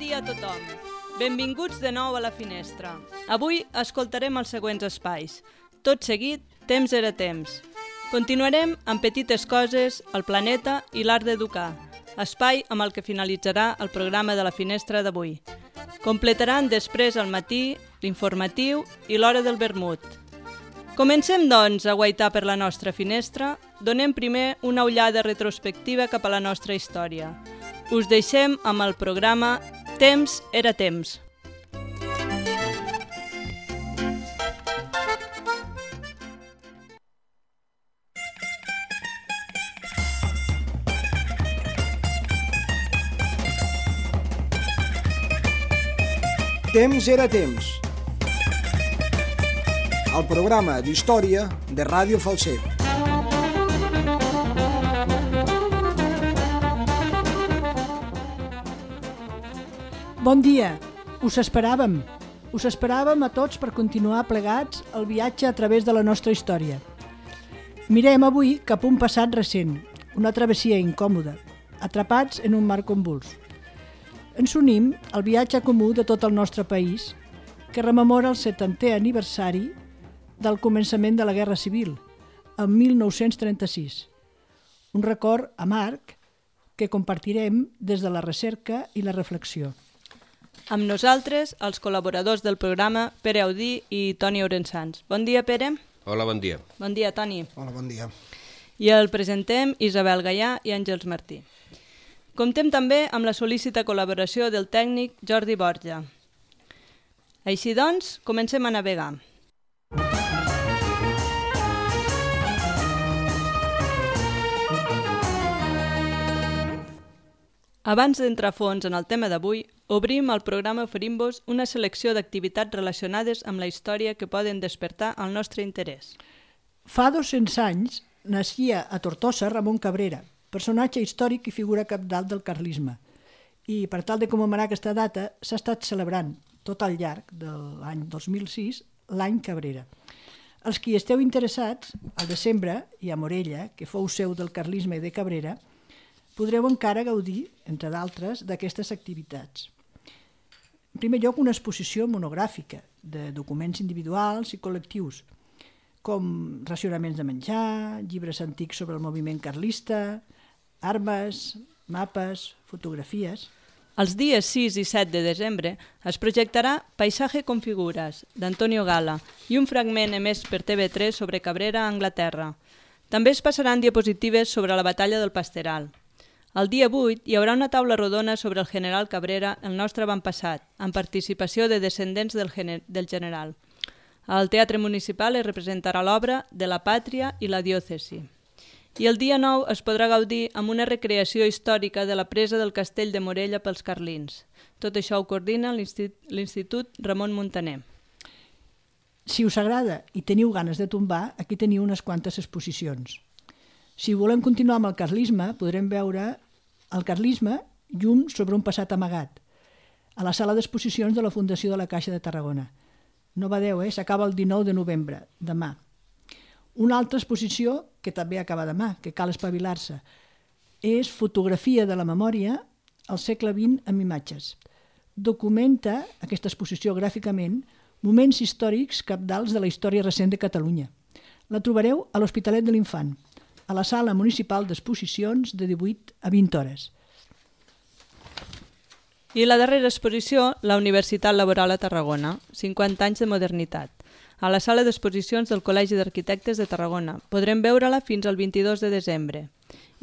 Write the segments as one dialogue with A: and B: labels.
A: dia a tothom. Benvinguts de nou a La Finestra. Avui escoltarem els següents espais. Tot seguit, Temps era temps. Continuarem amb Petites coses, el planeta i l'art d'educar, espai amb el que finalitzarà el programa de La Finestra d'avui. Completaran després al matí, l'informatiu i l'hora del vermut. Comencem, doncs, a guaitar per la nostra finestra. Donem primer una ullada retrospectiva cap a la nostra història. Us deixem amb el programa Temps era temps.
B: Temps era temps. El programa d'història de Ràdio Falset.
C: Bon dia, us esperàvem. Us esperàvem a tots per continuar plegats el viatge a través de la nostra història. Mirem avui cap a un passat recent, una travessia incòmoda, atrapats en un mar convuls. Ens unim al viatge comú de tot el nostre país, que rememora el 70è aniversari del començament de la Guerra Civil, en 1936. Un record amarg que compartirem des de la recerca i la reflexió.
A: Amb nosaltres, els col·laboradors del programa, Pere Audí i Toni Orençans. Bon dia, Pere.
D: Hola, bon dia.
A: Bon dia, Toni.
B: Hola, bon dia.
A: I el presentem Isabel Gaià i Àngels Martí. Comptem també amb la sol·lícita col·laboració del tècnic Jordi Borja. Així doncs, comencem a navegar. Abans d'entrar a fons en el tema d'avui, obrim el programa oferint-vos una selecció d'activitats relacionades amb la història que poden despertar el nostre interès.
C: Fa 200 anys naixia a Tortosa Ramon Cabrera, personatge històric i figura cabdal del carlisme. I per tal de commemorar aquesta data s'ha estat celebrant tot al llarg de l'any 2006 l'any Cabrera. Els qui esteu interessats, al desembre i a Morella, que fou seu del carlisme de Cabrera, podreu encara gaudir, entre d'altres, d'aquestes activitats. En primer lloc, una exposició monogràfica de documents individuals i col·lectius, com racionaments de menjar, llibres antics sobre el moviment carlista, armes, mapes, fotografies.
A: Els dies 6 i 7 de desembre es projectarà Paisaje con figures, d'Antonio Gala, i un fragment emès per TV3 sobre Cabrera a Anglaterra. També es passaran diapositives sobre la batalla del Pasteral. El dia 8 hi haurà una taula rodona sobre el general Cabrera, el nostre avantpassat, amb participació de descendents del general. Al Teatre Municipal es representarà l'obra de la Pàtria i la Diòcesi. I el dia 9 es podrà gaudir amb una recreació històrica de la presa del castell de Morella pels carlins. Tot això ho coordina l'Institut Ramon Muntaner.
C: Si us agrada i teniu ganes de tombar, aquí teniu unes quantes exposicions. Si volem continuar amb el carlisme, podrem veure el carlisme llum sobre un passat amagat, a la sala d'exposicions de la Fundació de la Caixa de Tarragona. No badeu, s'acaba el 19 de novembre, demà. Una altra exposició, que també acaba demà, que cal espavilar-se, és Fotografia de la memòria al segle XX amb imatges. Documenta, aquesta exposició gràficament, moments històrics cabdals de la història recent de Catalunya. La trobareu a l'Hospitalet de l'Infant, a la sala municipal d'exposicions de 18 a 20 hores.
A: I la darrera exposició, la Universitat Laboral a Tarragona, 50 anys de modernitat. A la sala d'exposicions del Col·legi d'Arquitectes de Tarragona. Podrem veure-la fins al 22 de desembre.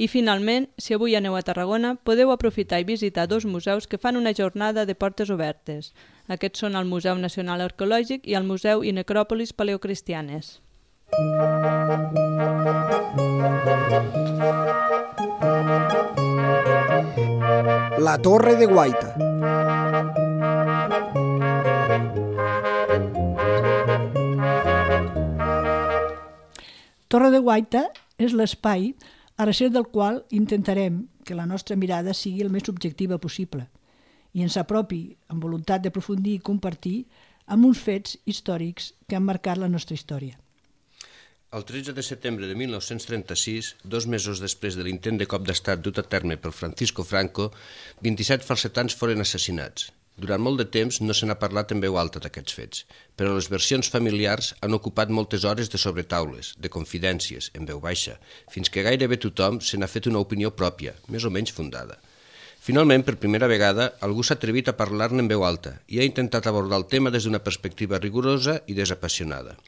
A: I finalment, si avui aneu a Tarragona, podeu aprofitar i visitar dos museus que fan una jornada de portes obertes. Aquests són el Museu Nacional Arqueològic i el Museu i Necròpolis Paleocristianes.
B: La Torre de Guaita.
C: Torre de Guaita és l'espai a recer del qual intentarem que la nostra mirada sigui el més subjectiva possible i ens apropi amb voluntat d'aprofundir i compartir amb uns fets històrics que han marcat la nostra història.
D: El 13 de setembre de 1936, 2 mesos després de l'intent de cop d'estat dut a terme per Francisco Franco, 27 falsetans foren assassinats. Durant molt de temps no se n'ha parlat en veu alta d'aquests fets, però les versions familiars han ocupat moltes hores de sobretaules, de confidències, en veu baixa, fins que gairebé tothom se n'ha fet una opinió pròpia, més o menys fundada. Finalment, per primera vegada, algú s'ha atrevit a parlar-ne en veu alta i ha intentat abordar el tema des d'una perspectiva rigorosa i desapassionada.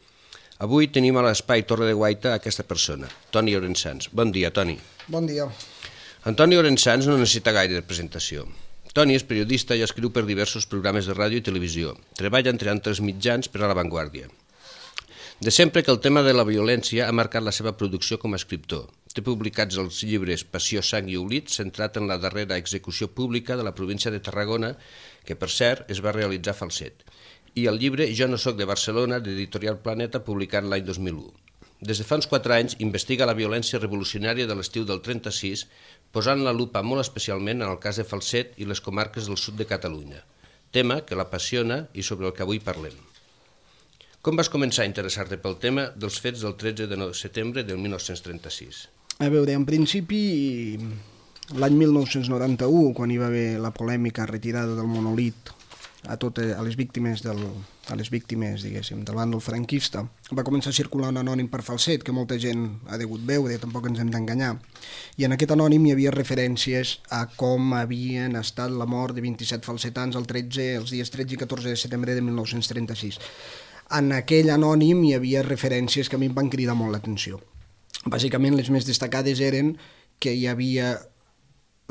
D: Avui tenim a l'espai Torre de Guaita aquesta persona, Toni Orensanz. Bon dia, Toni.
B: Bon dia.
D: Antoni Orensanz no necessita gaire de presentació. Toni és periodista i escriu per diversos programes de ràdio i televisió. Treballa entre altres mitjans per a La Vanguardia. De sempre que el tema de la violència ha marcat la seva producció com a escriptor. Té publicats els llibres Passió, sang i oblit, centrat en la darrera execució pública de la província de Tarragona, que per cert es va realitzar a Falset, i el llibre Jo no soc de Barcelona, d'Editorial Planeta, publicat l'any 2001. Des de fa uns 4 anys investiga la violència revolucionària de l'estiu del 36, posant la lupa molt especialment en el cas de Falset i les comarques del sud de Catalunya, tema que l'apassiona i sobre el que avui parlem. Com vas començar a interessar-te pel tema dels fets del 13 de setembre del 1936?
B: A veure, en principi, l'any 1991, quan hi va haver la polèmica retirada del monolit a les víctimes, diguéssim, del bàndol franquista, va començar a circular un anònim per Falset, que molta gent ha degut veure, tampoc ens hem d'enganyar. I en aquest anònim hi havia referències a com havien estat la mort de 27 falsetans els dies 13 i 14 de setembre de 1936. En aquell anònim hi havia referències que a mi em van cridar molt l'atenció. Bàsicament, les més destacades eren que hi havia,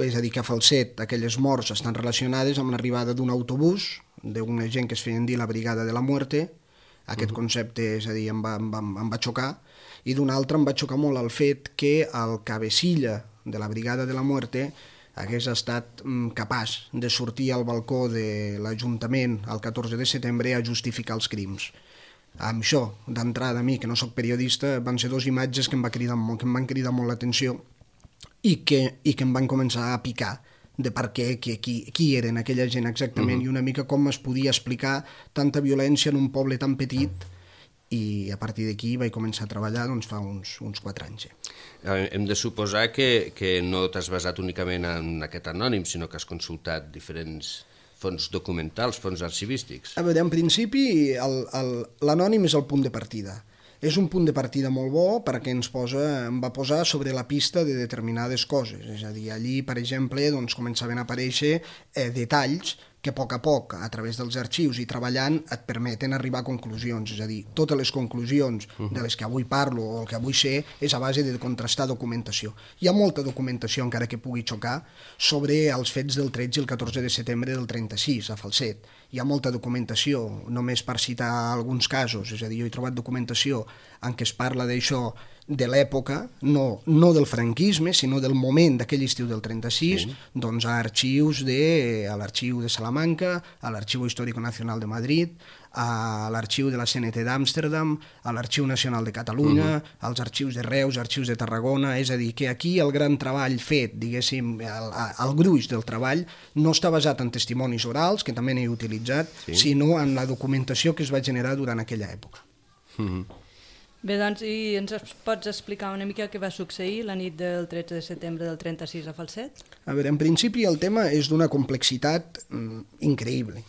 B: és a dir, que a Falset aquelles morts estan relacionades amb l'arribada d'un autobús, d'una gent que es feien dir la Brigada de la Muerte. Aquest concepte, és a dir, em va xocar, i d'un altre em va xocar molt el fet que el cabecilla de la Brigada de la Muerte hagués estat capaç de sortir al balcó de l'Ajuntament el 14 de setembre a justificar els crims. Amb això, d'entrada, a mi, que no sóc periodista, van ser 2 imatges que em van cridar molt l'atenció i que em van començar a picar de per què, qui eren aquella gent exactament i una mica com es podia explicar tanta violència en un poble tan petit, i a partir d'aquí vaig començar a treballar fa uns 4 anys.
D: Hem de suposar que no t'has basat únicament en aquest anònim, sinó que has consultat diferents fons documentals, fons arxivístics.
B: A veure, en principi, l'anònim és el punt de partida. És un punt de partida molt bo perquè em va posar sobre la pista de determinades coses. És a dir, allí, per exemple, començaven a aparèixer detalls que a poc, a través dels arxius i treballant, et permeten arribar a conclusions. És a dir, totes les conclusions de les que avui parlo o el que avui sé és a base de contrastar documentació. Hi ha molta documentació, encara que pugui xocar, sobre els fets del 13 i el 14 de setembre del 36 a Falset. Hi ha molta documentació, només per citar alguns casos. És a dir, jo he trobat documentació en què es parla d'això de l'època, no del franquisme, sinó del moment d'aquell estiu del 36, doncs a arxius a l'arxiu de Salamanca, a l'Arxiu Histórico Nacional de Madrid, a l'arxiu de la CNT d'Amsterdam, a l'Arxiu Nacional de Catalunya, als arxius de Reus, arxius de Tarragona. És a dir, que aquí el gran treball fet, diguéssim, el gruix del treball, no està basat en testimonis orals, que també n'he utilitzat, sinó en la documentació que es va generar durant aquella època.
A: Bé, doncs, i ens pots explicar una mica què va succeir la nit del 13 de setembre del 36 a Falset?
B: A veure, en principi el tema és d'una complexitat increïble.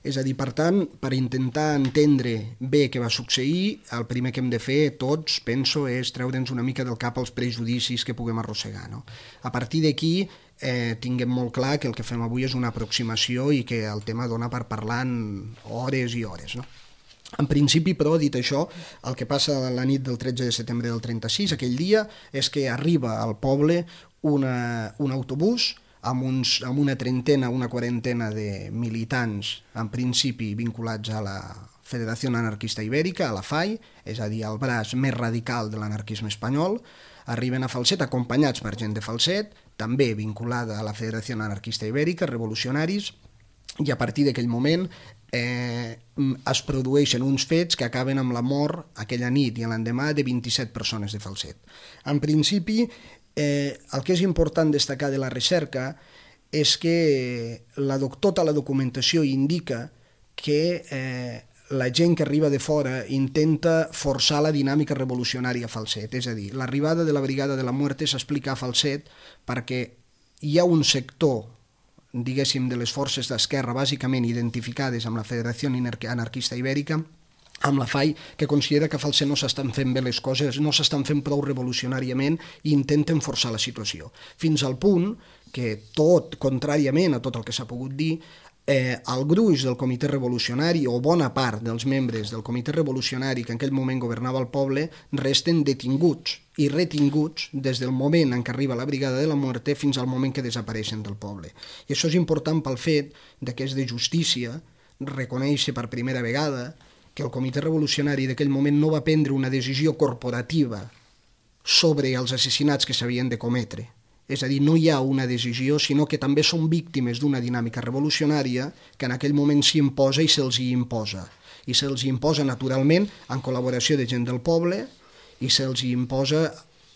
B: És a dir, per tant, per intentar entendre bé què va succeir, el primer que hem de fer tots, penso, és treure'ns una mica del cap els prejudicis que puguem arrossegar. A partir d'aquí, tinguem molt clar que el que fem avui és una aproximació i que el tema dona per parlar en hores i hores, no? En principi, però, dit això, el que passa la nit del 13 de setembre del 36, aquell dia, és que arriba al poble un autobús amb una trentena, una quarantena de militants, en principi vinculats a la Federació Anarquista Ibèrica, a la FAI, és a dir, el braç més radical de l'anarquisme espanyol. Arriben a Falset acompanyats per gent de Falset, també vinculada a la Federació Anarquista Ibèrica, revolucionaris, i a partir d'aquell moment es produeixen uns fets que acaben amb la mort aquella nit i l'endemà de 27 persones de Falset. En principi, el que és important destacar de la recerca és que tota la documentació indica que la gent que arriba de fora intenta forçar la dinàmica revolucionària a Falset. És a dir, l'arribada de la Brigada de la Muerte s'explica a Falset perquè hi ha un sector, diguéssim, de les forces d'esquerra bàsicament identificades amb la Federació Anarquista Ibèrica, amb la FAI, que considera que a Falset no s'estan fent bé les coses, no s'estan fent prou revolucionàriament i intenten forçar la situació. Fins al punt que tot, contràriament a tot el que s'ha pogut dir, el gruix del comitè revolucionari o bona part dels membres del comitè revolucionari que en aquell moment governava el poble resten detinguts i retinguts des del moment en què arriba la Brigada de la Muerte fins al moment que desapareixen del poble. I això és important pel fet que és de justícia reconèixer per primera vegada que el comitè revolucionari d'aquell moment no va prendre una decisió corporativa sobre els assassinats que s'havien de cometre. És a dir, no hi ha una decisió, sinó que també són víctimes d'una dinàmica revolucionària que en aquell moment s'hi imposa i se'ls hi imposa. I se'ls hi imposa naturalment en col·laboració de gent del poble i se'ls hi imposa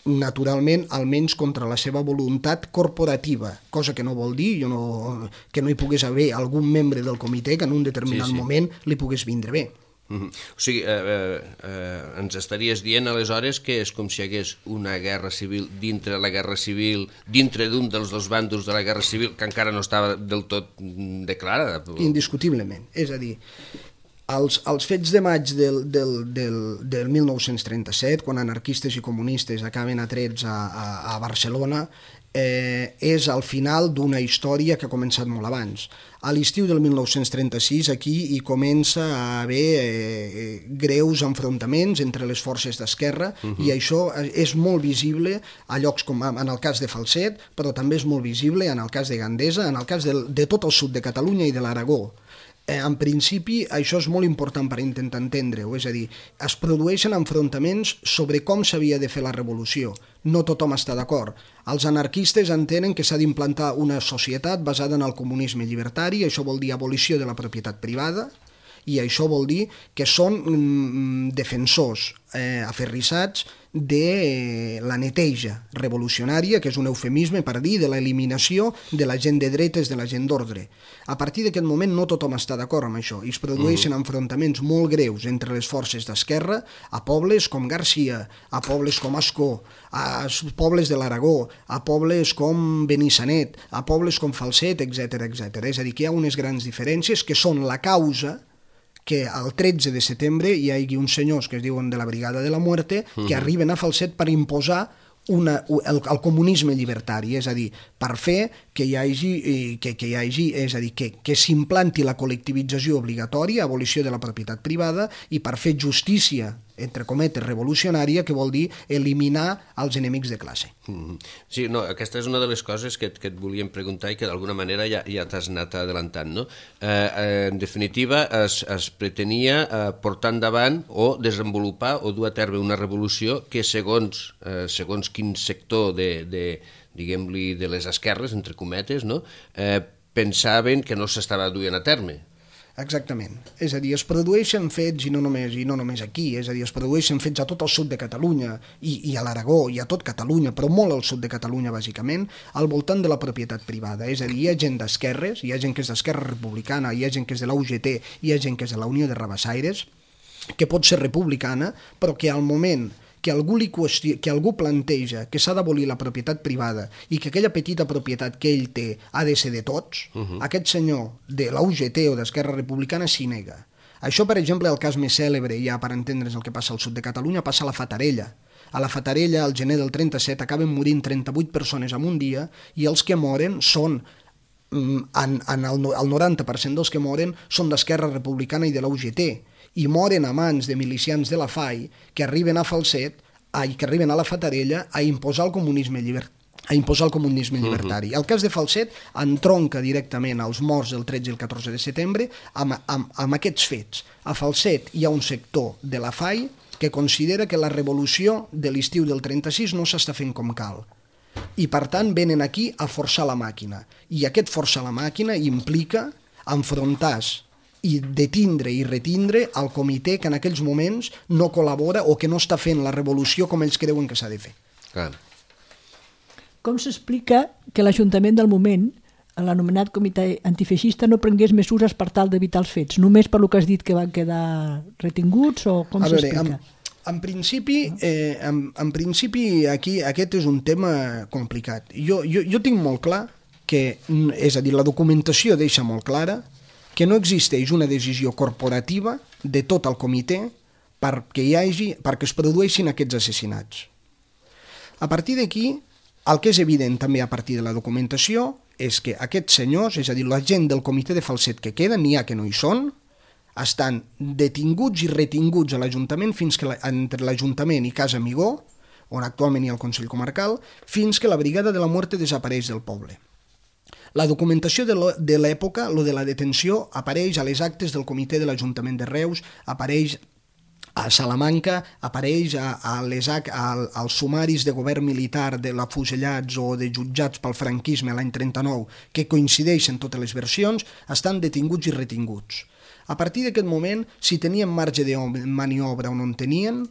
B: naturalment almenys contra la seva voluntat corporativa, cosa que no vol dir que no hi pogués haver algun membre del comitè que en un determinat moment li pogués vindre bé.
D: O sigui, ens estaries dient aleshores que és com si hi hagués una guerra civil dintre la guerra civil, dintre d'un dels dos bàndols de la guerra civil que encara no estava del tot declarada.
B: Indiscutiblement. És a dir, els fets de maig del 1937, quan anarquistes i comunistes acaben atrets a Barcelona, és al final d'una història que ha començat molt abans. A l'estiu del 1936 aquí hi comença a haver greus enfrontaments entre les forces d'esquerra i això és molt visible a llocs com en el cas de Falset, però també és molt visible en el cas de Gandesa, en el cas de tot el sud de Catalunya i de l'Aragó. En principi, això és molt important per intentar entendre-ho, és a dir, es produeixen enfrontaments sobre com s'havia de fer la revolució. No tothom està d'acord. Els anarquistes entenen que s'ha d'implantar una societat basada en el comunisme llibertari, això vol dir abolició de la propietat privada, i això vol dir que són defensors aferrissats de la neteja revolucionària, que és un eufemisme per dir de l'eliminació de la gent de dretes, de la gent d'ordre. A partir d'aquest moment no tothom està d'acord amb això i es produeixen enfrontaments molt greus entre les forces d'esquerra a pobles com Garcia, a pobles com Ascó, a pobles de l'Aragó, a pobles com Benissanet, a pobles com Falset, etc. És a dir, que hi ha unes grans diferències que són la causa que el 13 de setembre hi hagi uns senyors que es diuen de la Brigada de la Muerte que arriben a Falset per imposar el comunisme llibertari, és a dir, per fer que hi hagi, és a dir, que s'implanti la col·lectivització obligatòria, abolició de la propietat privada, i per fer justícia, entre cometes, revolucionària, que vol dir eliminar els enemics de classe.
D: Sí, no, aquesta és una de les coses que et volíem preguntar i que d'alguna manera ja t'has anat adelantant, no? En definitiva, es pretenia portar endavant o desenvolupar o dur a terme una revolució que segons quin sector diguem-li, de les esquerres, entre cometes, no? Pensaven que no s'estava duent a terme.
B: Exactament. És a dir, es produeixen fets, i no només aquí, és a dir, es produeixen fets a tot el sud de Catalunya i a l'Aragó i a tot Catalunya, però molt al sud de Catalunya, bàsicament, al voltant de la propietat privada. És a dir, hi ha gent d'esquerres, hi ha gent que és d'Esquerra Republicana, hi ha gent que és de la UGT, hi ha gent que és de la Unió de Rabassaires, que pot ser republicana, però que al moment que algú planteja que s'ha d'abolir la propietat privada i que aquella petita propietat que ell té ha de ser de tots, aquest senyor de la UGT o d'Esquerra Republicana s'hi nega. Això, per exemple, el cas més cèlebre, ja per entendre's el que passa al sud de Catalunya, passa a la Fatarella. A la Fatarella, al gener del 37, acaben morint 38 persones en un dia i els que moren són, el 90% dels que moren són d'Esquerra Republicana i de la UGT, i moren a mans de milicians de la FAI que arriben a Falset, que arriben a la Fatarella a imposar el comunisme llibertari. El cas de Falset entronca directament als morts del 13 i el 14 de setembre amb aquests fets. A Falset hi ha un sector de la FAI que considera que la revolució de l'estiu del 36 no s'està fent com cal. I per tant venen aquí a forçar la màquina. I aquest forçar la màquina implica enfrontar-se i detindre i retindre el comitè que en aquells moments no col·labora o que no està fent la revolució com ells creuen que s'ha de fer.
D: Clar.
C: Com s'explica que l'Ajuntament del moment l'anomenat comitè antifeixista no prengués mesures per tal d'evitar els fets, només per lo que has dit que van quedar retinguts o com s'explica?
B: En principi aquí aquest és un tema complicat. Jo tinc molt clar que, és a dir, la documentació deixa molt clara que no existeix una decisió corporativa de tot el comitè perquè es produeixin aquests assassinats. A partir d'aquí, el que és evident també a partir de la documentació és que aquests senyors, és a dir, la gent del comitè de Falset que queden, n'hi ha que no hi són, estan detinguts i retinguts a l'Ajuntament entre l'Ajuntament i Casa Amigó, on actualment hi ha el Consell Comarcal, fins que la Brigada de la Muerte desapareix del poble. La documentació de l'època, lo de la detenció, apareix a les actes del comitè de l'Ajuntament de Reus, apareix a Salamanca, apareix als sumaris de govern militar de l'afusellats o de jutjats pel franquisme l'any 39, que coincideixen totes les versions, estan detinguts i retinguts. A partir d'aquest moment, si tenien marge de maniobra o no en tenien,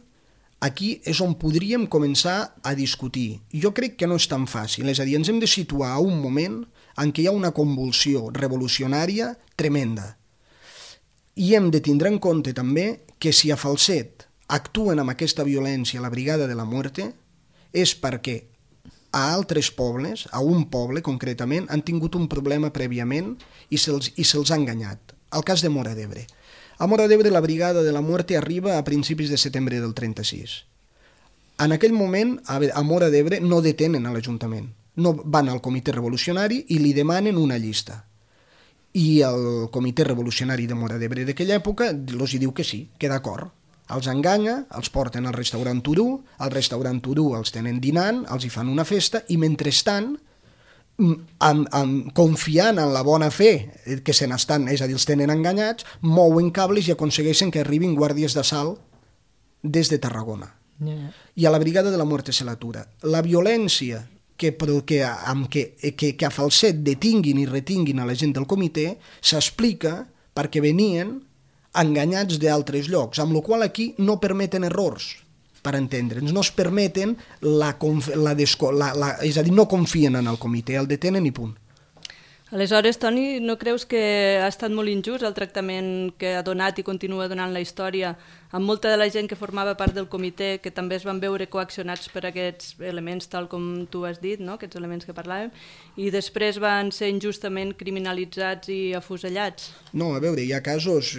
B: aquí és on podríem començar a discutir. Jo crec que no és tan fàcil, és a dir, ens hem de situar a un moment en què hi ha una convulsió revolucionària tremenda. I hem de tindre en compte també que si a Falset actuen amb aquesta violència la Brigada de la Muerte és perquè a altres pobles, a un poble concretament, han tingut un problema prèviament i se'ls ha enganyat. El cas de Móra d'Ebre. A Móra d'Ebre la Brigada de la Muerte arriba a principis de setembre del 36. En aquell moment, a Móra d'Ebre no detenen a l'Ajuntament. No van al comitè revolucionari i li demanen una llista. I el comitè revolucionari de Móra d'Ebre d'aquella època els diu que sí, que d'acord. Els enganya, els porten al restaurant Turú, al restaurant Turú els tenen dinant, els hi fan una festa i mentrestant, confiant en la bona fe que se n'estan, és a dir, els tenen enganyats, mouen cables i aconsegueixen que arribin guàrdies d'assalt des de Tarragona. I a la Brigada de la Muerte se l'atura. La violència que a Falset detinguin i retinguin a la gent del comitè s'explica perquè venien enganyats d'altres llocs, amb la qual aquí no permeten errors, per entendre'ns, no es permeten és a dir, no confien en el comitè, el detenen i punt.
A: Aleshores, Toni, no creus que ha estat molt injust el tractament que ha donat i continua donant la història amb molta de la gent que formava part del comitè, que també es van veure coaccionats per aquests elements, tal com tu has dit, no? Aquests elements que parlàvem, i després van ser injustament criminalitzats i afusellats?
B: No, a veure, hi ha casos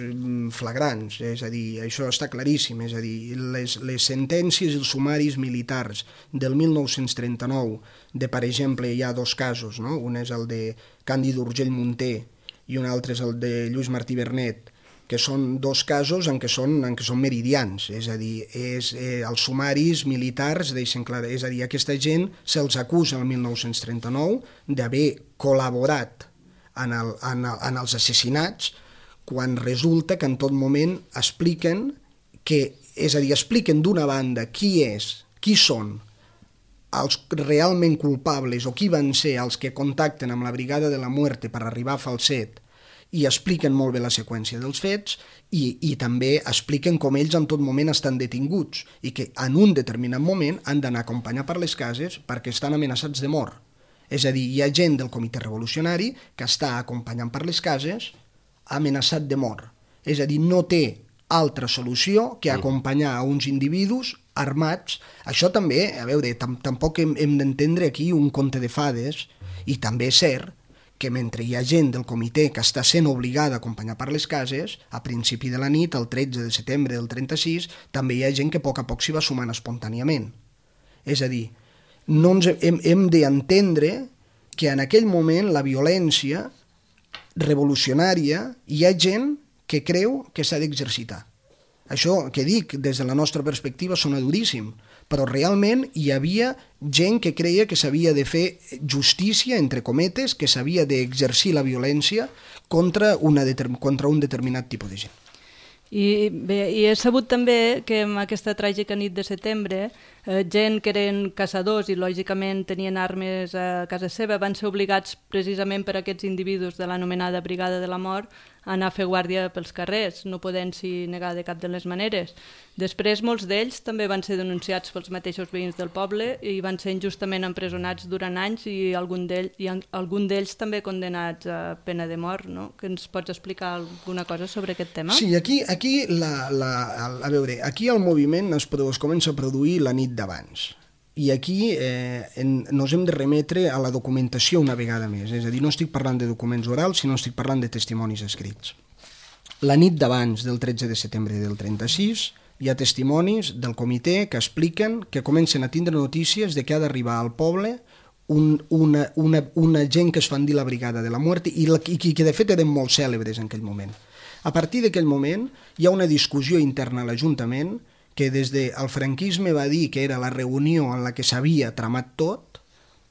B: flagrants, és a dir, això està claríssim, és a dir, les sentències i els sumaris militars del 1939, per exemple, hi ha dos casos, no? Un és el de Càndid Urgell Munter i un altre és el de Lluís Martí Bernet, que són dos casos en què són meridians, és a dir, els sumaris militars deixen clar, és a dir, aquesta gent se'ls acusa el 1939 d'haver col·laborat en els assassinats, quan resulta que en tot moment expliquen d'una banda qui són els realment culpables o qui van ser els que contacten amb la Brigada de la Muerte per arribar a Falset, i expliquen molt bé la seqüència dels fets i també expliquen com ells en tot moment estan detinguts i que en un determinat moment han d'anar a acompanyar per les cases perquè estan amenaçats de mort. És a dir, hi ha gent del comitè revolucionari que està acompanyant per les cases amenaçat de mort. És a dir, no té altra solució que acompanyar a uns individus armats. Això també, a veure, tampoc hem d'entendre aquí un conte de fades, i també és cert que mentre hi ha gent del comitè que està sent obligada a acompanyar per les cases, a principi de la nit, el 13 de setembre del 36, també hi ha gent que a poc s'hi va sumant espontàniament. És a dir, hem d'entendre que en aquell moment la violència revolucionària hi ha gent que creu que s'ha d'exercitar. Això que dic des de la nostra perspectiva sona duríssim, però realment hi havia gent que creia que s'havia de fer justícia, entre cometes, que s'havia d'exercir la violència contra un determinat tipus de gent.
A: I he sabut també que en aquesta tràgica nit de setembre gent que eren caçadors i lògicament tenien armes a casa seva, van ser obligats precisament per aquests individus de l'anomenada Brigada de la Mort a anar a fer guàrdia pels carrers, no podent-s'hi negar de cap de les maneres. Després molts d'ells també van ser denunciats pels mateixos veïns del poble i van ser injustament empresonats durant anys i algun d'ells també condenats a pena de mort, no? Que ens pots explicar alguna cosa sobre aquest tema?
B: Sí, aquí a veure, aquí el moviment es comença a produir la nit d'abans. I aquí ens hem de remetre a la documentació una vegada més. És a dir, no estic parlant de documents orals, sinó estic parlant de testimonis escrits. La nit d'abans del 13 de setembre del 36 hi ha testimonis del comitè que expliquen que comencen a tindre notícies de que ha d'arribar al poble una gent que es fan dir la Brigada de la Muerte i que de fet eren molt cèlebres en aquell moment. A partir d'aquell moment hi ha una discussió interna a l'Ajuntament que des del franquisme va dir que era la reunió en la que s'havia tramat tot,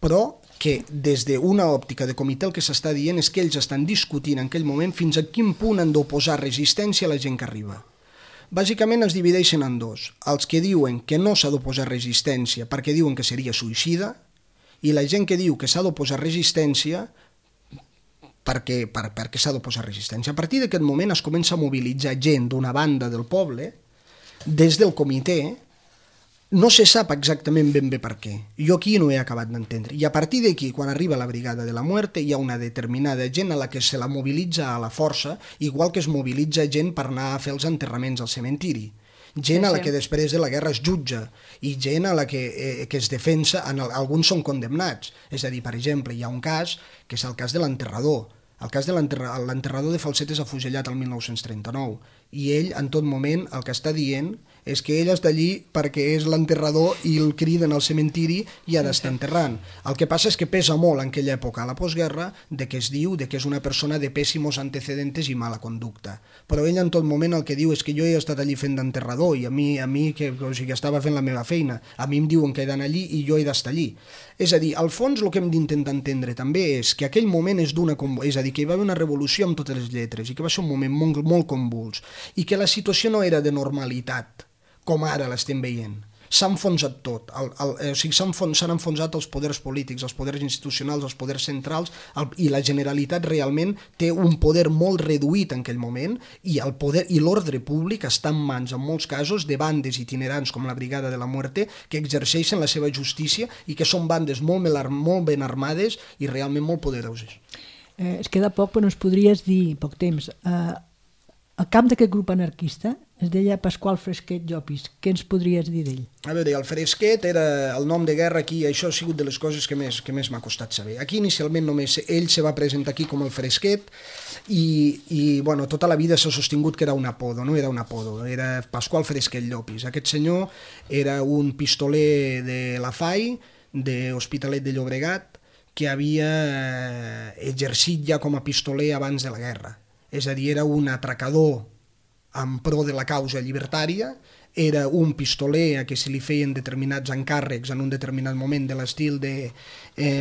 B: però que des d'una òptica de comitè el que s'està dient és que ells estan discutint en aquell moment fins a quin punt han d'oposar resistència a la gent que arriba. Bàsicament es divideixen en dos, els que diuen que no s'ha d'oposar resistència perquè diuen que seria suïcida i la gent que diu que s'ha d'oposar resistència perquè s'ha d'oposar resistència. A partir d'aquest moment es comença a mobilitzar gent d'una banda del poble des del comitè, no se sap exactament ben bé per què. Jo aquí no he acabat d'entendre. I a partir d'aquí, quan arriba la Brigada de la Muerte, hi ha una determinada gent a la que se la mobilitza a la força, igual que es mobilitza gent per anar a fer els enterraments al cementiri. Gent a la que després de la guerra es jutja i gent a la que es defensa, alguns són condemnats. És a dir, per exemple, hi ha un cas que és el cas de l'enterrador. El cas de l'enterrador de Falset és afusellat el 1939 i ell en tot moment el que està dient és que ell està allí perquè és l'enterrador i el criden al cementiri i ha d'estar enterrant. El que passa és que pesa molt en aquella època, a la postguerra, de que es diu que és una persona de pèssimos antecedentes i mala conducta. Però ell en tot moment el que diu és que jo he estat allí fent d'enterrador i a mi que estava fent la meva feina, a mi em diuen que he d'anar allí i jo he d'estar allí. És a dir, al fons el que hem d'intentar entendre també és que aquell moment és és a dir, que hi va haver una revolució amb totes les lletres i que va ser un moment molt convuls i que la situació no era de normalitat, com ara l'estem veient. S'ha enfonsat tot, s'han enfonsat els poders polítics, els poders institucionals, els poders centrals i la Generalitat realment té un poder molt reduït en aquell moment i el poder i l'ordre públic està en mans, en molts casos, de bandes itinerants com la Brigada de la Muerte que exerceixen la seva justícia i que són bandes molt ben armades i realment molt poderoses.
C: Es queda poc, però ens podries dir, poc temps, el cap d'aquest grup anarquista es deia Pasqual Fresquet Llopis. Què ens podries dir d'ell?
B: A veure, el Fresquet era el nom de guerra aquí, això ha sigut de les coses que més m'ha costat saber. Aquí inicialment només ell se va presentar aquí com el Fresquet i bueno, tota la vida s'ha sostingut que era un apodo, no era un apodo, era Pasqual Fresquet Llopis. Aquest senyor era un pistoler de la FAI, de Hospitalet de Llobregat, que havia exercit ja com a pistoler abans de la guerra. És a dir, era un atracador en pro de la causa llibertària, era un pistoler a què se li feien determinats encàrrecs en un determinat moment de l'estil de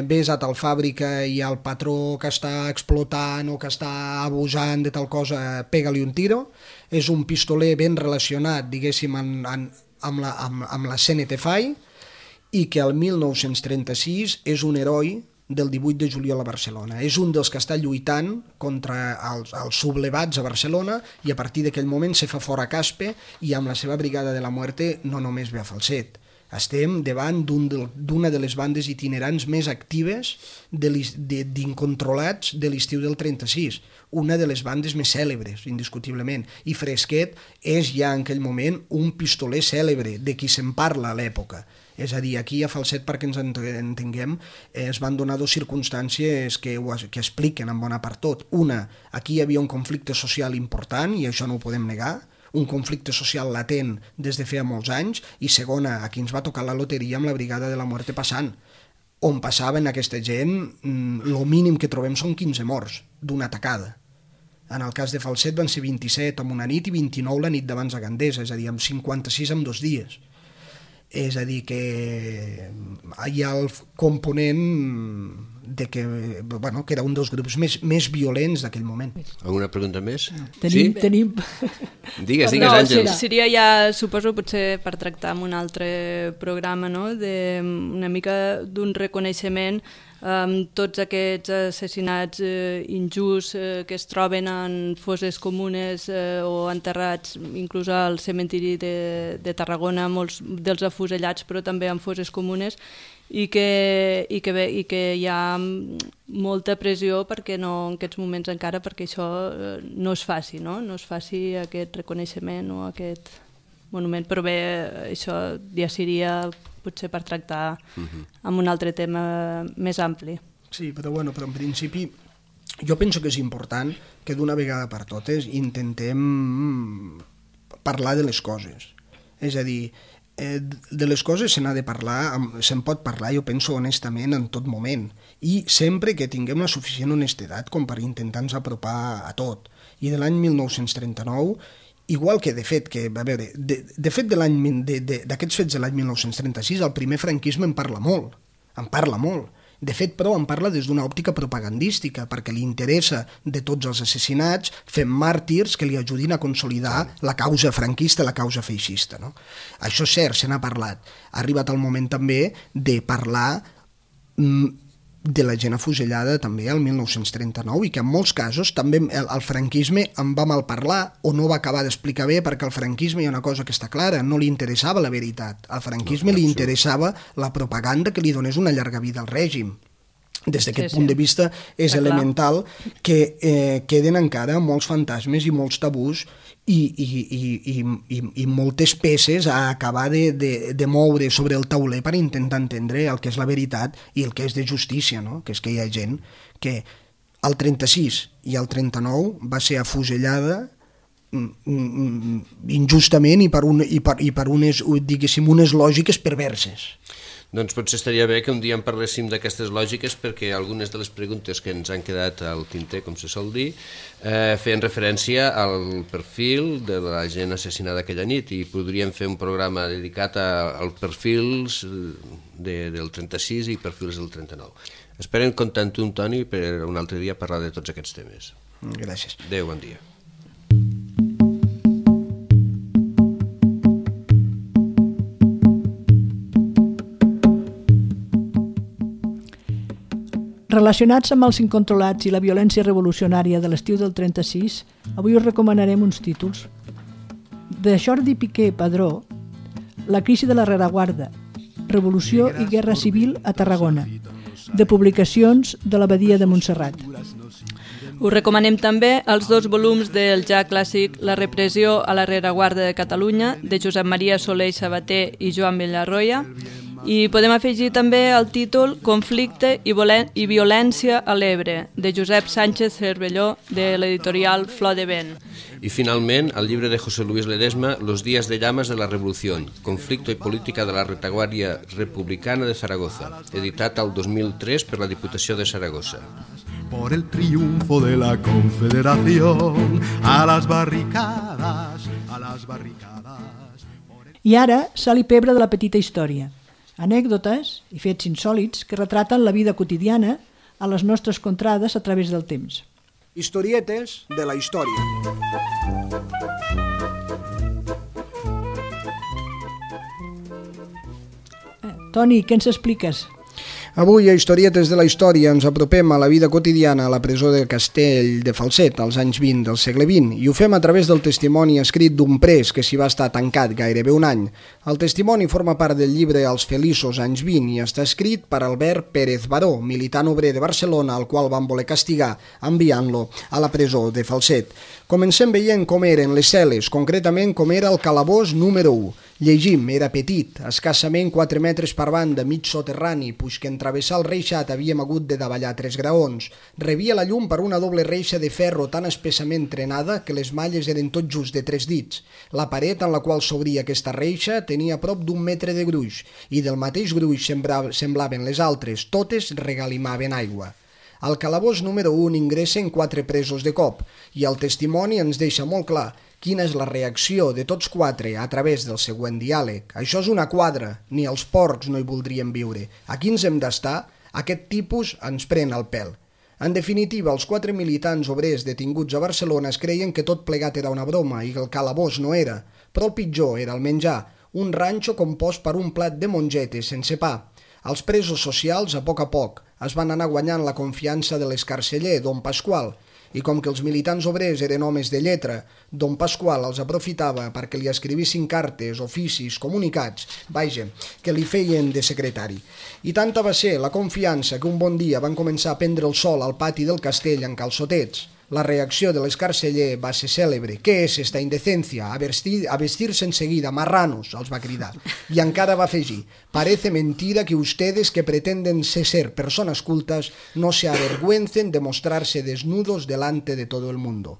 B: vés a tal fàbrica i al patró que està explotant o que està abusant de tal cosa, pega-li un tiro. És un pistoler ben relacionat, diguéssim, amb la CNT-FAI i que el 1936 és un heroi del 18 de juliol a Barcelona. És un dels que està lluitant contra els sublevats a Barcelona i a partir d'aquell moment se fa fora Caspe i amb la seva Brigada de la Muerte no només ve a Falset. Estem davant d'una de les bandes itinerants més actives d'incontrolats de l'estiu del 36, una de les bandes més cèlebres, indiscutiblement. I Fresquet és ja en aquell moment un pistoler cèlebre, de qui se'n parla a l'època. És a dir, aquí a Falset, perquè ens entenguem, es van donar dues circumstàncies que expliquen en bona part tot. Una, aquí hi havia un conflicte social important, i això no ho podem negar, un conflicte social latent des de feia molts anys, i segona, aquí ens va tocar la loteria amb la Brigada de la Muerte passant, on passaven aquesta gent, el mínim que trobem són 15 morts d'una atacada. En el cas de Falset van ser 27 en una nit i 29 la nit d'abans a Gandesa, és a dir, amb 56 en 2 dies. És a dir, que hi ha el component que era un dels grups més violents d'aquell moment.
D: Alguna pregunta més?
C: Tenim...
D: Digues, Àngels.
A: Seria ja, suposo, potser per tractar amb un altre programa, no? Una mica d'un reconeixement amb tots aquests assassinats injusts que es troben en fosses comunes o enterrats inclús al cementiri de Tarragona, molts dels afusellats, però també en fosses comunes, i que hi ha molta pressió perquè no, en aquests moments encara, perquè això no es faci, no es faci aquest reconeixement o aquest monument, però bé, això ja seria potser per tractar amb un altre tema més ampli.
B: Sí, però en principi jo penso que és important que d'una vegada per totes intentem parlar de les coses. És a dir, de les coses se n'ha de parlar, se'n pot parlar, jo penso honestament, en tot moment, i sempre que tinguem la suficient honestedat com per intentar-nos apropar a tot. I de l'any 1939, igual que de fet, d'aquests fets de l'any 1936, el primer franquisme en parla molt. De fet, però, en parla des d'una òptica propagandística, perquè li interessa de tots els assassinats fer màrtirs que li ajudin a consolidar la causa franquista, la causa feixista. No? Això és cert, se n'ha parlat. Ha arribat el moment també de parlar de la gent afusellada també el 1939 i que en molts casos també el franquisme en va mal parlar o no va acabar d'explicar bé, perquè al franquisme hi ha una cosa que està clara, no li interessava la veritat, al franquisme li interessava la propaganda que li donés una llarga vida al règim. Des d'aquest punt de vista és elemental que queden encara molts fantasmes i molts tabús i moltes peces a acabar de moure sobre el tauler per intentar entendre el que és la veritat i el que és de justícia, no? Que és que hi ha gent que al 36 i al 39 va ser afusellada injustament i per unes, diguéssim, unes lògiques perverses.
D: Doncs potser estaria bé que un dia en parléssim d'aquestes lògiques, perquè algunes de les preguntes que ens han quedat al tinter, com se sol dir, feien referència al perfil de la gent assassinada aquella nit, i podríem fer un programa dedicat als perfils del 36 i perfils del 39. Esperen comptar amb tu, Toni, per un altre dia parlar de tots aquests temes.
B: Gràcies.
D: Adéu, bon dia.
C: Relacionats amb els incontrolats i la violència revolucionària de l'estiu del 36, avui us recomanarem uns títols. De Jordi Piqué Padró, La crisi de la rereguarda, Revolució i Guerra Civil a Tarragona, de Publicacions de l'Abadia de Montserrat.
A: Us recomanem també els 2 volums del ja clàssic La repressió a la rereguarda de Catalunya, de Josep Maria Soler i Sabater i Joan Villarroya, i podem afegir també el títol Conflicte i violència a l'Ebre, de Josep Sánchez Cervelló, de l'editorial Flor de Vent.
D: I finalment, el llibre de José Luis Ledesma, Los días de llamas de la revolución, conflicto y política de la retaguardia republicana de Zaragoza, editat al 2003 per la Diputació de Saragossa.
E: Por el triunfo de la Confederación, a las barricadas, a las barricadas.
C: I ara, sal i pebre de la petita història. Anècdotes i fets insòlits que retraten la vida quotidiana a les nostres contrades a través del temps.
B: Historietes de la història.
C: Toni, què ens expliques?
B: Avui, a Historietes de la història, ens apropem a la vida quotidiana a la presó de Castell de Falset, als anys 20 del segle XX, i ho fem a través del testimoni escrit d'un pres que s'hi va estar tancat gairebé un any. El testimoni forma part del llibre Els feliços anys 20 i està escrit per Albert Pérez Baró, militant obrer de Barcelona, al qual van voler castigar enviant-lo a la presó de Falset. Comencem veient com eren les cel·les, concretament com era el calabós número 1. Llegim, era petit, escassament 4 metres per banda, mig soterrani, puix que en travessar el reixat havíem hagut de davallar 3 graons. Rebia la llum per una doble reixa de ferro tan espessament trenada que les malles eren tot just de 3 dits. La paret en la qual s'obria aquesta reixa tenia prop d'1 metre de gruix, i del mateix gruix semblaven les altres, totes regalimaven aigua. Al calabós número 1 ingressen 4 presos de cop, i el testimoni ens deixa molt clar quina és la reacció de tots 4 a través del següent diàleg. Això és una quadra, ni els porcs no hi voldrien viure. Aquí ens hem d'estar, Aquest tipus ens pren el pèl. En definitiva, els 4 militants obrers detinguts a Barcelona es creien que tot plegat era una broma i que el calabós no era, però el pitjor era el menjar, un ranxo compost per un plat de mongetes sense pa. Els presos socials, a poc, es van anar guanyant la confiança de l'escarceller, don Pasqual, i com que els militants obrers eren homes de lletra, don Pasqual els aprofitava perquè li escrivissin cartes, oficis, comunicats, que li feien de secretari. I tanta va ser la confiança que un bon dia van començar a prendre el sol al pati del castell en calçotets. La reacció de l'escarceller va ser cèlebre. «¿Qué es esta indecencia? A vestirse enseguida, marranos», els va cridar. I encara va afegir: «Parece mentira que ustedes que pretenden ser personas cultas no se avergüencen de mostrarse desnudos delante de todo el mundo».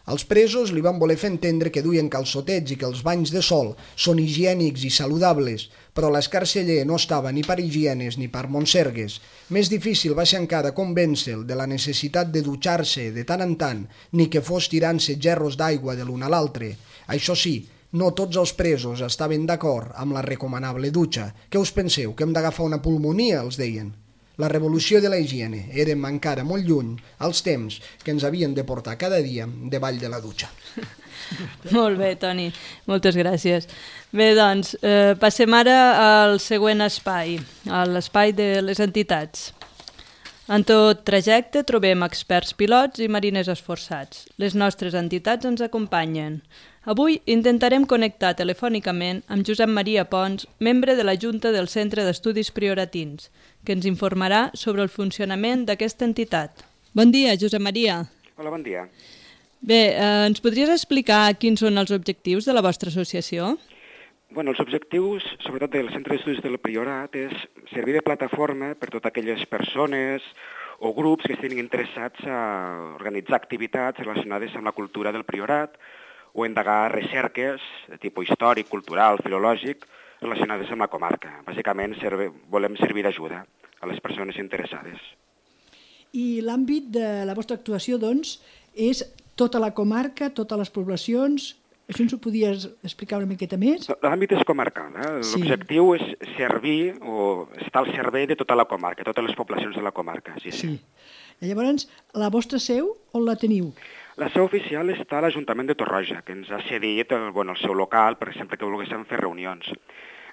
B: Els presos li van voler fer entendre que duien calçotets i que els banys de sol són higiènics i saludables, però l'escarceller no estava ni per higienes ni per monsergues. Més difícil va ser encara convèncer-lo de la necessitat de dutxar-se de tant en tant, ni que fos tirant-se gerros d'aigua de l'un a l'altre. Això sí, no tots els presos estaven d'acord amb la recomanable dutxa. Què us penseu, que hem d'agafar una pulmonia, els deien? La revolució de la higiene érem encara molt lluny als temps que ens havien de portar cada dia davall de la dutxa.
A: Molt bé, Toni, moltes gràcies. Bé, doncs, passem ara al següent espai, a l'espai de les entitats. En tot trajecte trobem experts pilots i mariners esforçats. Les nostres entitats ens acompanyen. Avui intentarem connectar telefònicament amb Josep Maria Pons, membre de la Junta del Centre d'Estudis Prioratins, que ens informarà sobre el funcionament d'aquesta entitat. Bon dia, Josep Maria.
F: Hola, bon dia.
A: Bé, ens podries explicar quins són els objectius de la vostra associació?
F: Bueno, els objectius, sobretot del Centre d'Estudis del Priorat, és servir de plataforma per totes aquelles persones o grups que estiguin interessats a organitzar activitats relacionades amb la cultura del Priorat o endegar recerques de tipus històric, cultural, filològic, relacionades amb la comarca. Bàsicament volem servir d'ajuda a les persones interessades.
C: I l'àmbit de la vostra actuació, doncs, és tota la comarca, totes les poblacions. Això ens ho podies explicar una miqueta més?
F: L'àmbit és comarcal. L'objectiu és servir o estar al servei de tota la comarca, totes les poblacions de la comarca. Sí.
C: I llavors, la vostra seu, on la teniu?
F: La seu oficial està a l'Ajuntament de Torroja, que ens ha cedit el seu local, per exemple, que volguéssim fer reunions.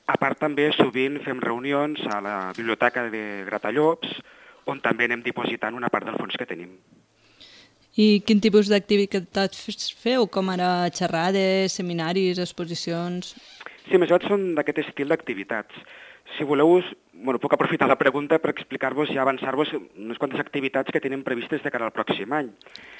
F: A part, també sovint fem reunions a la Biblioteca de Gratallops, on també anem dipositant una part del fons que tenim.
A: I quin tipus d'activitats feu, com ara xerrades, seminaris, exposicions?
F: Sí, més o menys són d'aquest estil d'activitats. Si voleu, puc aprofitar la pregunta per explicar-vos i avançar-vos unes quantes activitats que tenim previstes de cara al pròxim any.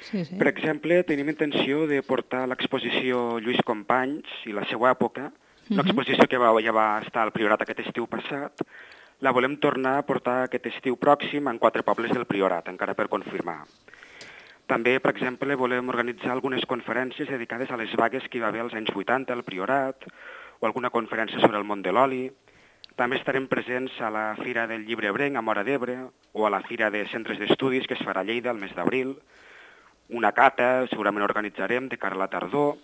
A: Sí.
F: Per exemple, tenim intenció de portar l'exposició Lluís Companys i la seva època, una exposició que ja va estar al Priorat aquest estiu passat. La volem tornar a portar aquest estiu pròxim en 4 pobles del Priorat, encara per confirmar. També, per exemple, volem organitzar algunes conferències dedicades a les vagues que hi va haver als anys 80 al Priorat, o alguna conferència sobre el món de l'oli. També estarem presents a la Fira del Llibre Ebrenc a Móra d'Ebre o a la Fira de Centres d'Estudis que es farà a Lleida el mes d'abril. Una cata segurament organitzarem de cara a la tardor,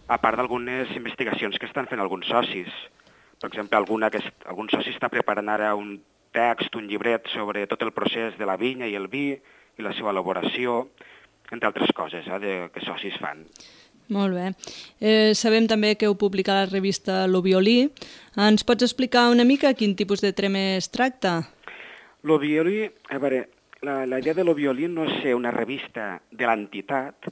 F: a part d'algunes investigacions que estan fent alguns socis. Per exemple, algun soci està preparant ara un text, un llibret sobre tot el procés de la vinya i el vi i la seva elaboració, entre altres coses que socis fan.
A: Molt bé. Sabem també que heu publicat la revista Lo Violí. Ens pots explicar una mica quin tipus de tema es tracta?
F: Lo Violí, a veure, la idea de Lo Violí no és ser una revista de l'entitat,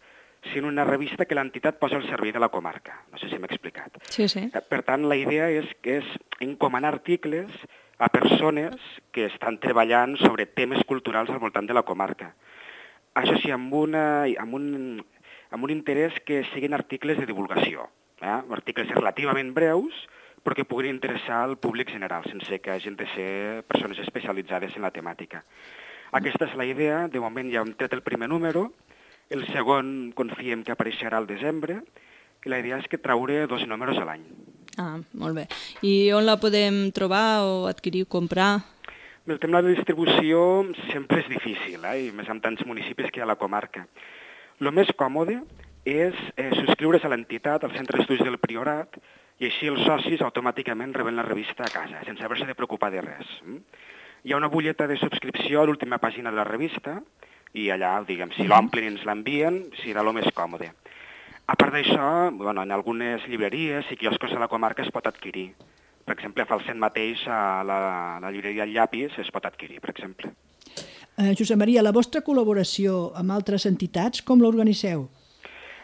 F: sinó una revista que l'entitat posa al servei de la comarca. No sé si m'he explicat.
A: Sí.
F: Per tant, la idea és encomanar articles a persones que estan treballant sobre temes culturals al voltant de la comarca. Això sí, amb un interès que siguin articles de divulgació, articles relativament breus, però que puguin interessar al públic general, sense que hagin de ser persones especialitzades en la temàtica. Aquesta és la idea. De moment ja hem tret el primer número, el segon confiem que apareixerà al desembre, i la idea és que traure 2 números a l'any.
A: Molt bé. I on la podem trobar o adquirir, comprar?
F: El tema de la distribució sempre és difícil, i més amb tants municipis que hi ha a la comarca. El més còmode és subscriure's a l'entitat, al Centre d'Estudis del Priorat, i així els socis automàticament reben la revista a casa, sense haver-se de preocupar de res. Hi ha una butlleta de subscripció a l'última pàgina de la revista i allà, diguem, si l'omplen i ens l'envien, serà el més còmode. A part d'això, en algunes llibreries i quioscos de la comarca es pot adquirir. Per exemple, a Falset mateix, a la llibreria El Llapis es pot adquirir, per exemple.
C: Josep Maria, la vostra col·laboració amb altres entitats, com l'organitzeu?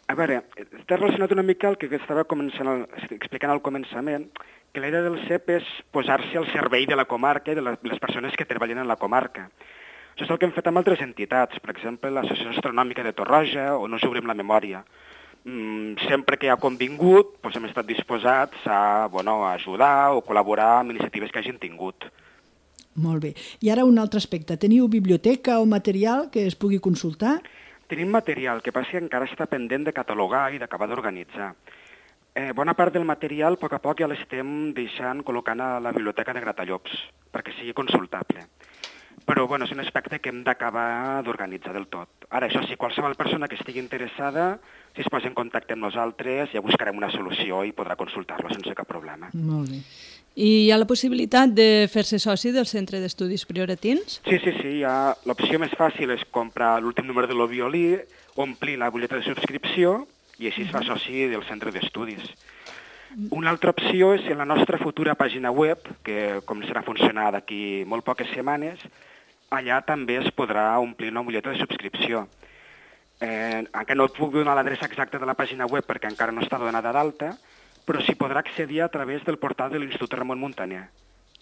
F: A veure, està relacionat una mica el que estava explicant al començament, que la idea del CEP és posar-se al servei de la comarca i de les persones que treballen en la comarca. Això és el que hem fet amb altres entitats, per exemple, l'Associació Astronòmica de Torroja o No us obrim la memòria. Sempre que ha convingut, hem estat disposats a ajudar o col·laborar amb iniciatives que hagin tingut.
C: Molt bé. I ara un altre aspecte. Teniu biblioteca o material que es pugui consultar?
F: Tenim material, que passa que encara està pendent de catalogar i d'acabar d'organitzar. Bona part del material, a poc ja l'estem col·locant a la biblioteca de Gratallops, perquè sigui consultable. Però és un aspecte que hem d'acabar d'organitzar del tot. Ara, això sí, qualsevol persona que estigui interessada, si es posa en contacte amb nosaltres, ja buscarem una solució i podrà consultar-lo sense cap problema.
C: Molt bé.
A: I hi ha la possibilitat de fer-se soci del Centre d'Estudis Prioratins?
F: Sí. L'opció més fàcil és comprar l'últim número de l'Oviolí, omplir la butlleta de subscripció i així es fa soci del Centre d'Estudis. Una altra opció és en la nostra futura pàgina web, que començarà a funcionar d'aquí molt poques setmanes, allà també es podrà omplir una butlleta de subscripció. Encara no et puc donar l'adreça exacta de la pàgina web perquè encara no està donada d'alta, però s'hi podrà accedir a través del portal de l'Institut Ramon Muntaner,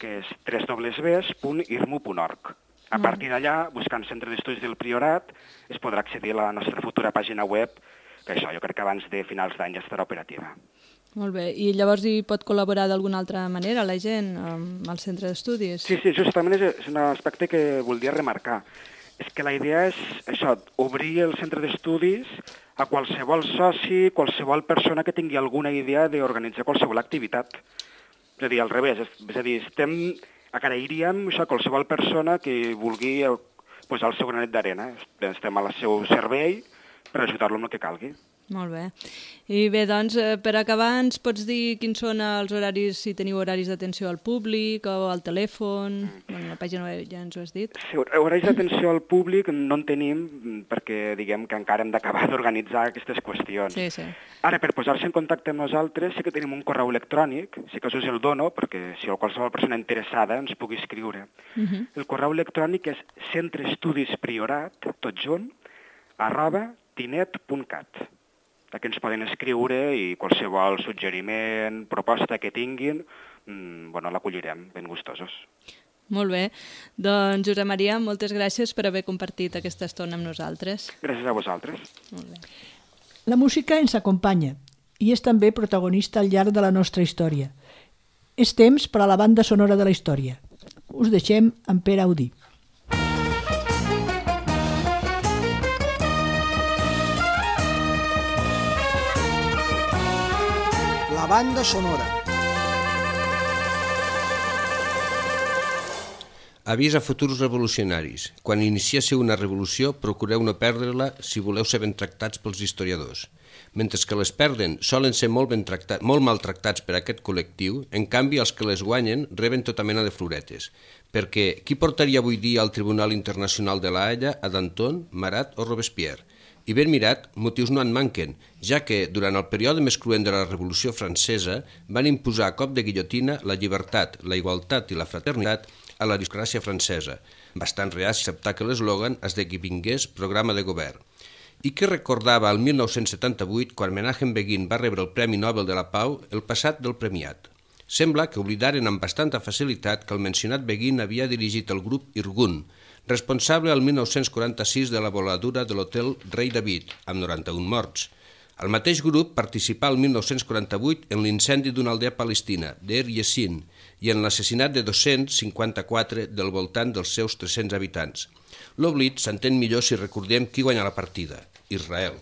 F: que és www.irmu.org. A partir d'allà, buscant Centre d'Estudis del Priorat, es podrà accedir a la nostra futura pàgina web, que això jo crec que abans de finals d'any ja estarà operativa.
A: Molt bé. I llavors hi pot col·laborar d'alguna altra manera la gent amb el centre d'estudis?
F: Sí, justament és un aspecte que voldria remarcar. És que la idea és això, obrir el centre d'estudis a qualsevol soci, qualsevol persona que tingui alguna idea d'organitzar qualsevol activitat. És a dir, al revés, agrairíem a qualsevol persona que vulgui posar el seu granet d'arena. Estem al seu servei per ajudar-lo amb el que calgui.
A: Molt bé. I bé, doncs, per acabar, ens pots dir quins són els horaris, si teniu horaris d'atenció al públic o al telèfon? La pàgina web ja ens ho has dit.
F: Sí, horaris d'atenció al públic no en tenim perquè diguem que encara hem d'acabar d'organitzar aquestes qüestions.
A: Sí.
F: Ara, per posar-se en contacte amb nosaltres, sí que tenim un correu electrònic, sí que us el dono, perquè si qualsevol persona interessada ens pugui escriure. El correu electrònic és centreestudispriorat, tot junt, @tinet.cat. Aquí ens poden escriure i qualsevol suggeriment, proposta que tinguin, l'acollirem ben gustosos.
A: Molt bé. Doncs, Josep Maria, moltes gràcies per haver compartit aquesta estona amb nosaltres.
F: Gràcies a vosaltres.
A: Molt bé.
C: La música ens acompanya i és també protagonista al llarg de la nostra història. És temps per a la banda sonora de la història. Us deixem amb Pere Audí.
B: La banda sonora.
D: Avís a futurs revolucionaris. Quan iniciéssiu una revolució, procureu no perdre-la si voleu ser ben tractats pels historiadors. Mentre que les perden solen ser molt maltractats per aquest col·lectiu, en canvi els que les guanyen reben tota mena de floretes. Perquè qui portaria avui dia al Tribunal Internacional de la Haia a Danton, Marat o Robespierre? I ben mirat, motius no en manquen, ja que, durant el període més cruent de la Revolució Francesa, van imposar a cop de guillotina la llibertat, la igualtat i la fraternitat a l'aristocràcia francesa, bastant reaci a acceptar que l'eslògan esdevingués programa de govern. I que recordava el 1978, quan Menachem Begin va rebre el Premi Nobel de la Pau, el passat del premiat. Sembla que oblidaren amb bastanta facilitat que el mencionat Begin havia dirigit el grup Irgun, responsable el 1946 de la voladura de l'hotel Rei David, amb 91 morts. El mateix grup participà el 1948 en l'incendi d'una aldea palestina, Deir Yassin, i en l'assassinat de 254 del voltant dels seus 300 habitants. L'oblit s'entén millor si recordem qui guanya la partida, Israel.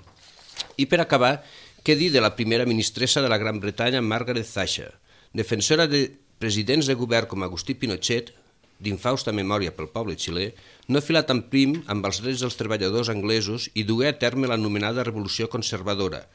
D: I per acabar, què dir de la primera ministressa de la Gran Bretanya, Margaret Thatcher, defensora de presidents de govern com Agustí Pinochet, d'infausta memòria pel poble xilè, no filà tan prim amb els drets dels treballadors anglesos i dugué a terme l'anomenada Revolució Conservadora.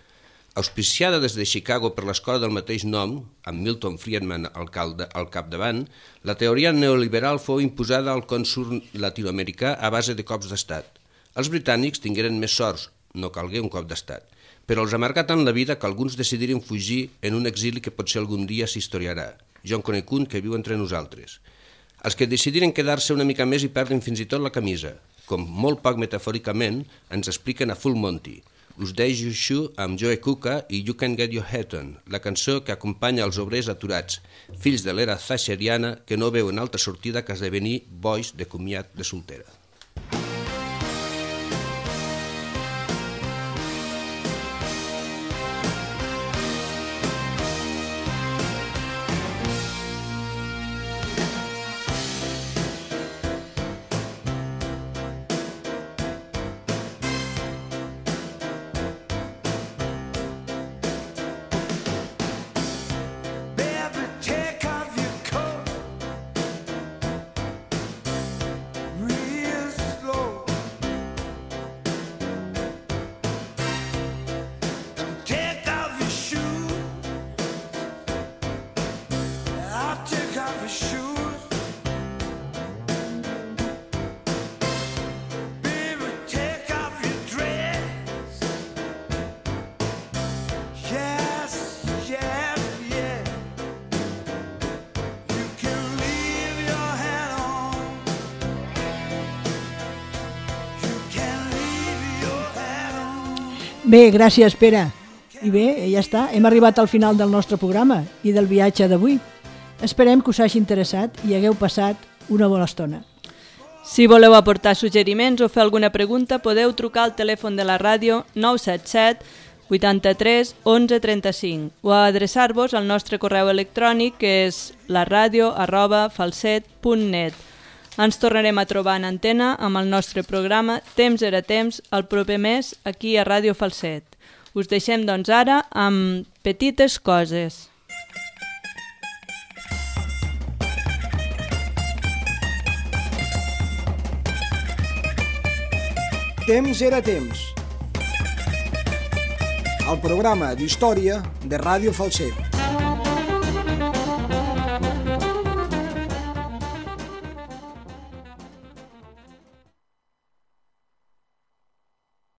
D: Auspiciada des de Chicago per l'escola del mateix nom, amb Milton Friedman al capdavant, la teoria neoliberal fou imposada al cònsol latinoamericà a base de cops d'estat. Els britànics tingueren més sorts, no calgué un cop d'estat, però els amargà tant la vida que alguns decidiren fugir en un exili que potser algun dia s'historiarà. Jo en conec un que viu entre nosaltres. Els que decidiren quedar-se una mica més i perden fins i tot la camisa, com molt poc metafòricament ens expliquen a Full Monty. Us deixo això amb Joe Cocker i You Can Get Your Head On, la cançó que acompanya els obrers aturats, fills de l'era thatcheriana que no veuen altra sortida que esdevenir bois de comiat de soltera.
C: Bé, gràcies, Pere. I bé, ja està, hem arribat al final del nostre programa i del viatge d'avui. Esperem que us hagi interessat i hagueu passat una bona estona.
A: Si voleu aportar suggeriments o fer alguna pregunta, podeu trucar al telèfon de la ràdio 977 83 11 35 o adreçar-vos al nostre correu electrònic que és laradio@falset.net. Ens tornarem a trobar en antena amb el nostre programa Temps era temps el proper mes aquí a Ràdio Falset. Us deixem doncs ara amb Petites coses.
B: Temps era temps. El programa d'història de Ràdio Falset.